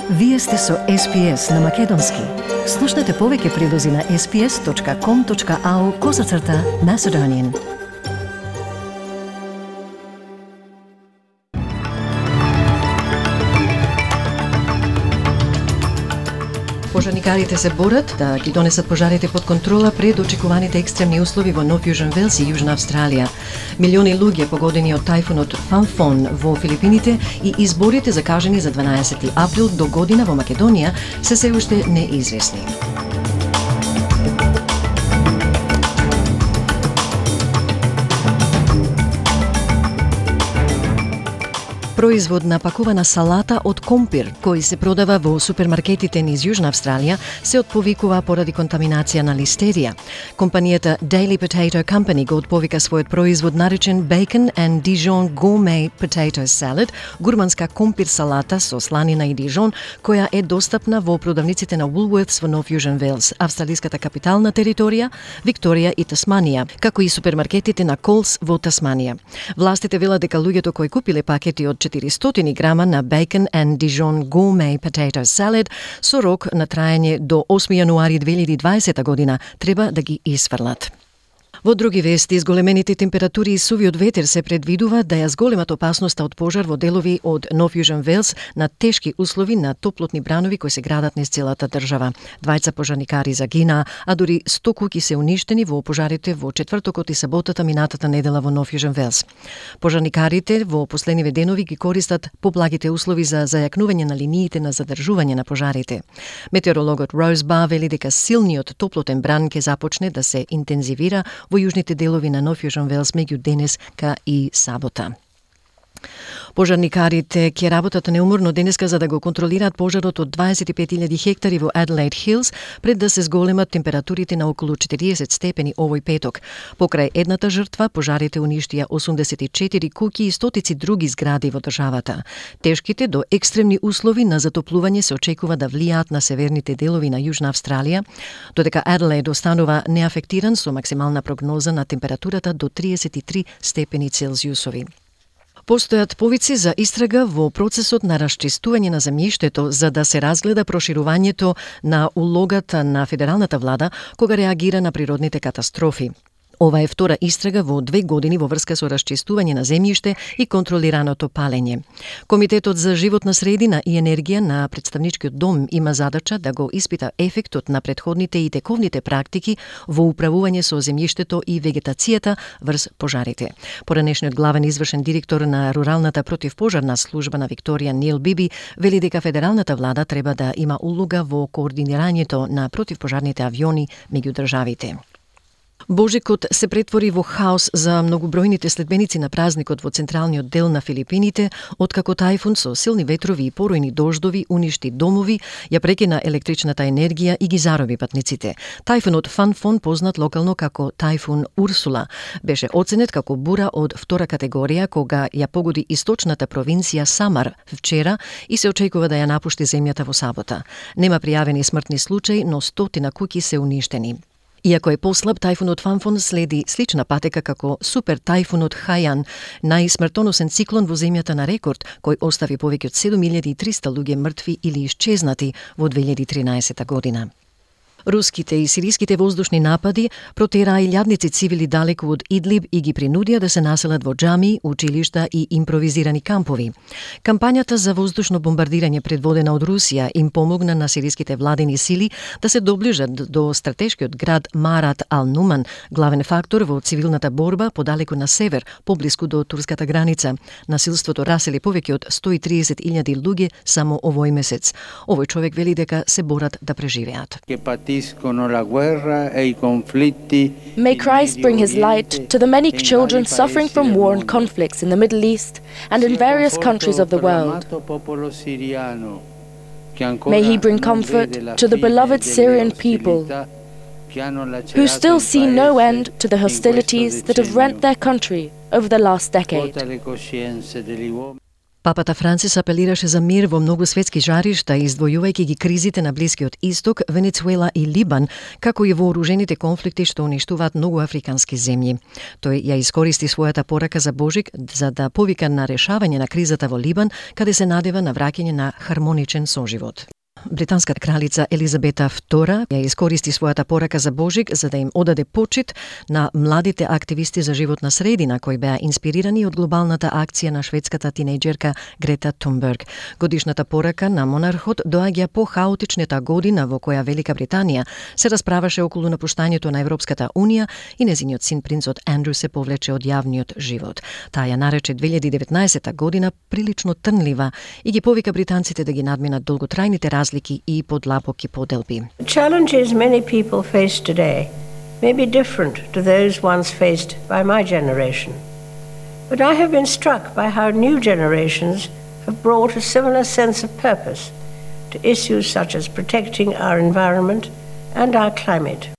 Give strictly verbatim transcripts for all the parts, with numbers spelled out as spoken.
Вие сте со Ес Пи Ес на Македонски. Слушнете повеќе прилози на ес пи ес точка ком точка ау козацрта Macedonian. Пожарникарите се борат да ги донесат пожарите под контрола пред очекуваните екстремни услови во Нов Јужен Велс и Јужна Австралија. Милиони луѓе погодени од тајфунот Фанфон во Филипините и изборите закажани за дванаесети април до година во Македонија се се уште неизвестни. Производ на пакувана салата од компир, кој се продава во супермаркетите низ Јужна Австралија, се отповикува поради контаминација на листерија. Компанијата Daily Potato Company го отповика својот производ наречен Bacon and Dijon Gourmet Potato Salad, гурманска компир салата со сланина и дижон, која е достапна во продавниците на Woolworths во Нов Јужен Велс, австралиската капитална територија, Викторија и Тасманија, како и супермаркетите на Колс во Тасманија. Властите велат дека луѓето кои купиле пакети од четиристотини грама на Bacon and Dijon Gourmet Potato Salad со рок на траење до осми јануари две илјади и дваесета година треба да ги исфрлат. Во други вести, изголемените температури и сувиот ветер се предвидува да ја зголемат опасноста од пожар во делови од Нов Јужен Велс на тешки услови на топлотни бранови кои се градат низ целата држава. Двајца пожарникари загинаа, а дури сто куќи се уништени во пожарите во четвртокот и саботата минатата недела во Нов Јужен Велс. Пожарникарите во последниве денови ги користат поблагите услови за зајакнување на линиите на задржување на пожарите. Метеорологот Роуз Ба вели дека силниот топлотен бран ќе започне да се интензивира во јужните делови на Нов Јужен Велс меѓу денеска и сабота. Пожарникарите ќе работат неуморно денеска за да го контролираат пожарот од дваесет и пет илјади хектари во Adelaide Hills пред да се зголемат температурите на околу четириесет степени овој петок. Покрај едната жртва, пожарите уништија осумдесет и четири куќи и стотици други згради во државата. Тешките до екстремни услови на затоплување се очекува да влијаат на северните делови на Јужна Австралија, додека Аделаид останува неафектиран со максимална прогноза на температурата до триесет и три степени Целзиусови. Постојат повици за истрага во процесот на расчистување на земјиштето за да се разгледа проширувањето на улогата на федералната влада кога реагира на природните катастрофи. Ова е втора истрага во две години во врска со расчистување на земјиште и контролираното палење. Комитетот за животна средина и енергија на представничкиот дом има задача да го испита ефектот на претходните и тековните практики во управување со земјиштето и вегетацијата врз пожарите. Поранешниот главен извршен директор на руралната противпожарна служба на Викторија Нил Биби вели дека федералната влада треба да има улога во координирањето на противпожарните авиони меѓу државите. Божикот се претвори во хаос за многобројните следбеници на празникот во централниот дел на Филипините, откако тајфун со силни ветрови и поројни дождови уништи домови, ја прекина електричната енергија и ги зароби патниците. Тајфунот Фанфон, познат локално како тајфун Урсула, беше оценет како бура од втора категорија кога ја погоди источната провинција Самар вчера и се очекува да ја напушти земјата во сабота. Нема пријавени смртни случаи, но стотина куќи се уништени. Иако е послаб, тајфунот Фанфон следи слична патека како супер тајфунот Хајан, најсмртоносен циклон во земјата на рекорд, кој остави повеќе од седум илјади и триста луѓе мртви или исчезнати во две илјади и тринаесета година. Руските и сириските воздушни напади протераа илјадници цивили далеку од Идлиб и ги принудија да се населат во џами, училишта и импровизирани кампови. Кампањата за воздушно бомбардирање предводена од Русија им помогна на сириските владени сили да се доближат до стратешкиот град Марат ал-Нуман, главен фактор во цивилната борба подалеку на север, поблиску до турската граница. Насилството расели повеќе од сто и триесет илјади луѓе само овој месец. Овој човек вели дека се борат да преживеат. May Christ bring his light to the many children suffering from war and conflicts in the Middle East and in various countries of the world. May he bring comfort to the beloved Syrian people who still see no end to the hostilities that have rent their country over the last decade. Папата Францис апелираше за мир во многу светски жаришта, издвојувајќи ги кризите на Блискиот Исток, Венецуела и Либан, како и вооружените конфликти што уништуваат многу африкански земји. Тој ја искористи својата порака за Божик за да повика на решавање на кризата во Либан, каде се надева на враќање на хармоничен соживот. Британската кралица Елизабета Втора ја искористи својата порака за Божик за да им одаде почит на младите активисти за животна средина кои беа инспирирани од глобалната акција на шведската тинејџерка Грета Тунберг. Годишната порака на монархот доаѓа по хаотичната година во која Велика Британија се расправаше околу напуштањето на Европската унија и незиниот син принцот Андрю се повлече од јавниот живот. Таа ја нарече две илјади и деветнаесетта година прилично трнлива и ги повика британците да ги надминат долготрајните разлики и подлабоки поделби. The challenges many people face today may be different to those once faced by my generation. But I have been struck by how new generations have brought a similar sense of purpose to issues such as protecting our environment and our climate.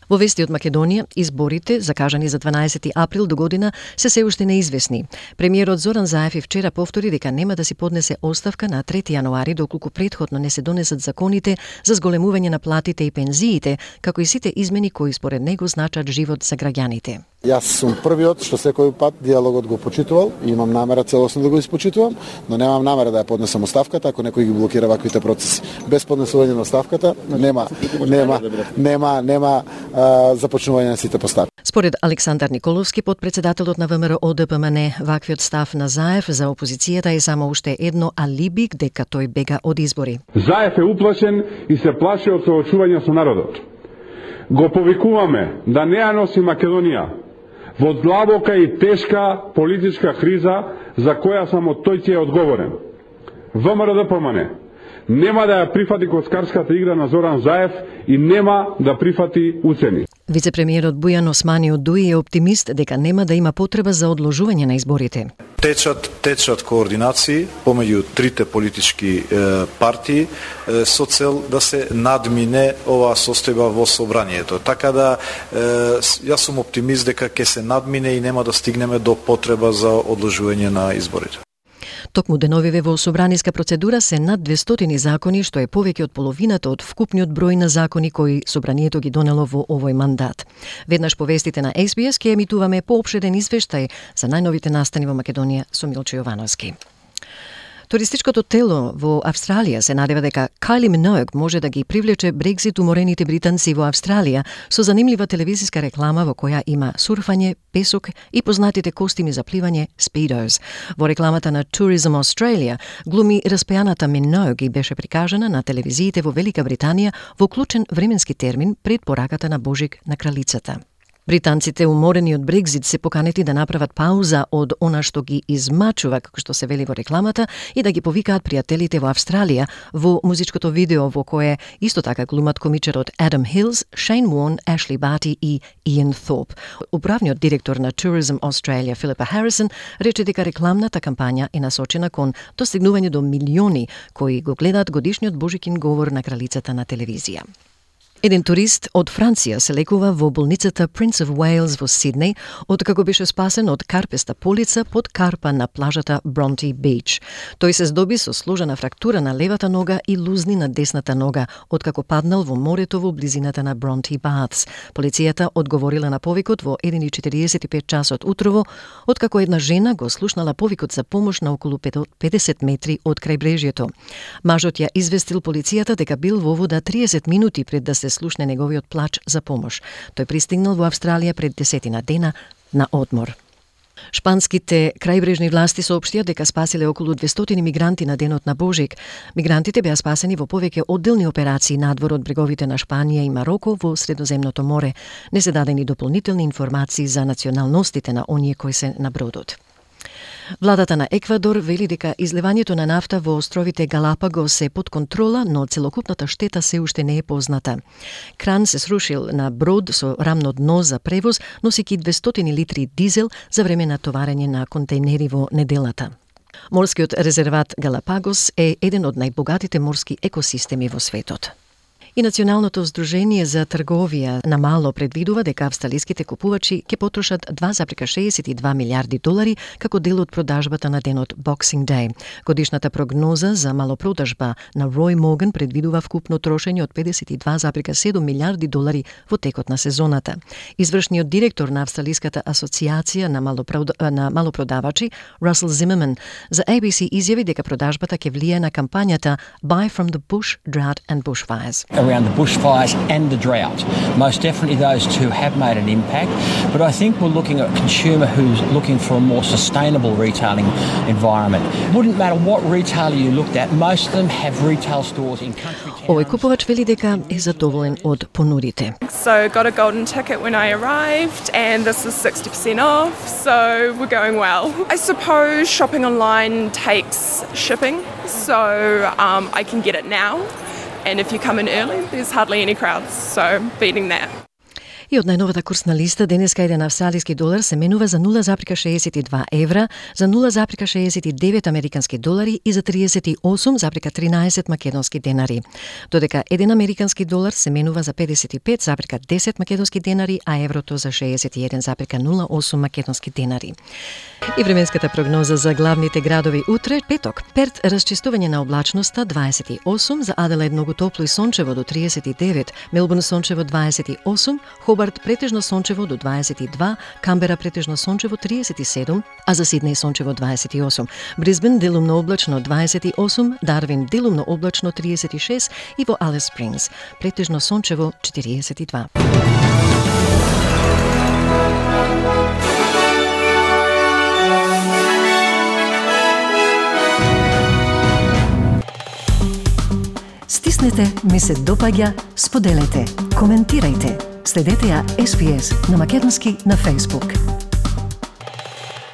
Во вести од Македонија, изборите, закажани за дванаесети април до година, се се уште неизвестни. Премиерот Зоран Заев и вчера повтори дека нема да си поднесе оставка на трети јануари доколку претходно не се донесат законите за зголемување на платите и пензиите, како и сите измени кои според него значат живот за граѓаните. Јас сум првиот што секој пат диалогот го почитувал и имам намера целосно да го испочитувам, но немам намера да ја поднесам оставката ако некој ги блокира ваквите процеси. Без поднесување на оставката нема нема нема нема а, започнување на сите постапки. Според Александар Николовски, подпредседателот на ВМРО О Д П М Н, ваквиот став на Заев за опозицијата е само уште едно алиби дека тој бега од избори. Заев е уплашен и се плаши од соочување со народот. Го повикуваме да не ја носи Македонија во длабока и тешка политичка криза за која само тој ќе е одговорен. ВМРО Д П М Н нема да ја прифати коцкарската игра на Зоран Заев и нема да прифати уцени. Вице-премиерот Бујан Османи од Дуи е оптимист дека нема да има потреба за одложување на изборите. Течат, течат координации помеѓу трите политички е, партии е, со цел да се надмине оваа состојба во собранието. Така да е, јас сум оптимист дека ќе се надмине и нема да стигнеме до потреба за одложување на изборите. Токму деновиве во собраниска процедура се над двестотини закони, што е повеќе од половината од вкупниот број на закони кои собранието ги донело во овој мандат. Веднаш по вестите на Ес Би Ес ќе емитуваме поопширен извештај за најновите настани во Македонија со Милчо Јовановски. Туристичкото тело во Австралија се надева дека Кайли Миноуг може да ги привлече Брекзит уморените британци во Австралија со занимлива телевизиска реклама во која има сурфање, песок и познатите костими за пливање Speedos. Во рекламата на Tourism Australia глуми распеаната Миноуг и беше прикажана на телевизиите во Велика Британија во клучен временски термин пред пораката на Божик на кралицата. Британците уморени од Брекзит се поканети да направат пауза од она што ги измачува, како што се вели во рекламата, и да ги повикаат пријателите во Австралија во музичкото видео во кое исто така глумат комичарот Адам Хилс, Шейн Уорн, Ашли Бати и Иан Thorpe. Управниот директор на Tourism Australia Филипа Харисон рече дека рекламната кампања е насочена кон достигнување до милиони кои го гледаат годишниот Божикин говор на кралицата на телевизија. Еден турист од Франција се лекува во болницата Prince of Wales во Сиднеј, откако беше спасен од карпеста полица под карпа на плажата Бронти Бич. Тој се здоби со сложена фрактура на левата нога и лузни на десната нога, откако паднал во морето во близината на Бронти Баths. Полицијата одговорила на повикот во еден и четириесет и пет часот утрово, откако една жена го слушнала повикот за помош на околу педесет метри од крајбрежјето. Мажот ја известил полицијата дека бил во вода триесет минути пред да се слушне неговиот плач за помош. Тој пристигнал во Австралија пред десетина дена на одмор. Шпанските крајбрежни власти соопштија дека спасиле околу двестотини мигранти на денот на Божик. Мигрантите беа спасени во повеќе одделни операции надвор од бреговите на Шпанија и Мароко во Средоземното море. Не се дадени дополнителни информации за националностите на оние кои се на бродот. Владата на Еквадор вели дека изливањето на нафта во островите Галапагос е под контрола, но целокупната штета се уште не е позната. Кран се срушил на брод со рамно дно за превоз, носејќи двестотини литри дизел за време на товарење на контейнери во неделата. Морскиот резерват Галапагос е еден од најбогатите морски екосистеми во светот. И Националното здружение за трговија на мало предвидува дека австралиските купувачи ќе потрошат два зарез шеесет и два милиарди долари како дел од продажбата на денот Boxing Day. Годишната прогноза за малопродажба на Рој Морган предвидува вкупно трошење од педесет и два зарез седум милиарди долари во текот на сезоната. Извршниот директор на Австралиската асоциација на, малопрод... на малопродавачи, Русел Зимерман, за A B C изјави дека продажбата ќе влијае на кампањата Buy from the Bush, Drought and Bushfires. Around the bushfires and the drought. Most definitely those two have made an impact, but I think we're looking at a consumer who's looking for a more sustainable retailing environment. Wouldn't matter what retailer you looked at, most of them have retail stores in country towns. Овој купувач вели дека е задоволен од понудите. So got a golden ticket when I arrived and this is sixty percent off, so we're going well. I suppose shopping online takes shipping, so um, I can get it now. And if you come in early, there's hardly any crowds, so beating that. И од најновата курсна листа, денеска еден австралиски долар се менува за нула зарез шеесет и два евра, за нула зарез шеесет и девет американски долари и за триесет и осум зарез тринаесет македонски денари. Додека еден американски долар се менува за педесет и пет зарез десет македонски денари, а еврото за шеесет и еден зарез нула осум македонски денари. И временската прогноза за главните градови утре, петок. Перт расчистување на облачноста дваесет и осум, за Аделаид многу топло и сончево до триесет и девет, Мелбурн сончево дваесет и осум, Хобарт претежно сончево до дваесет и два, Камбера претежно сончево триесет и седум, а за Сиднеј сончево дваесет и осум. Брисбен делумно облачно дваесет и осум, Дарвин делумно облачно триесет и шест и во Алис Спрингс претежно сончево четириесет и два. Стиснете, ми се допаѓа, споделете, коментирајте. Следете ја С Б С на македонски на Facebook.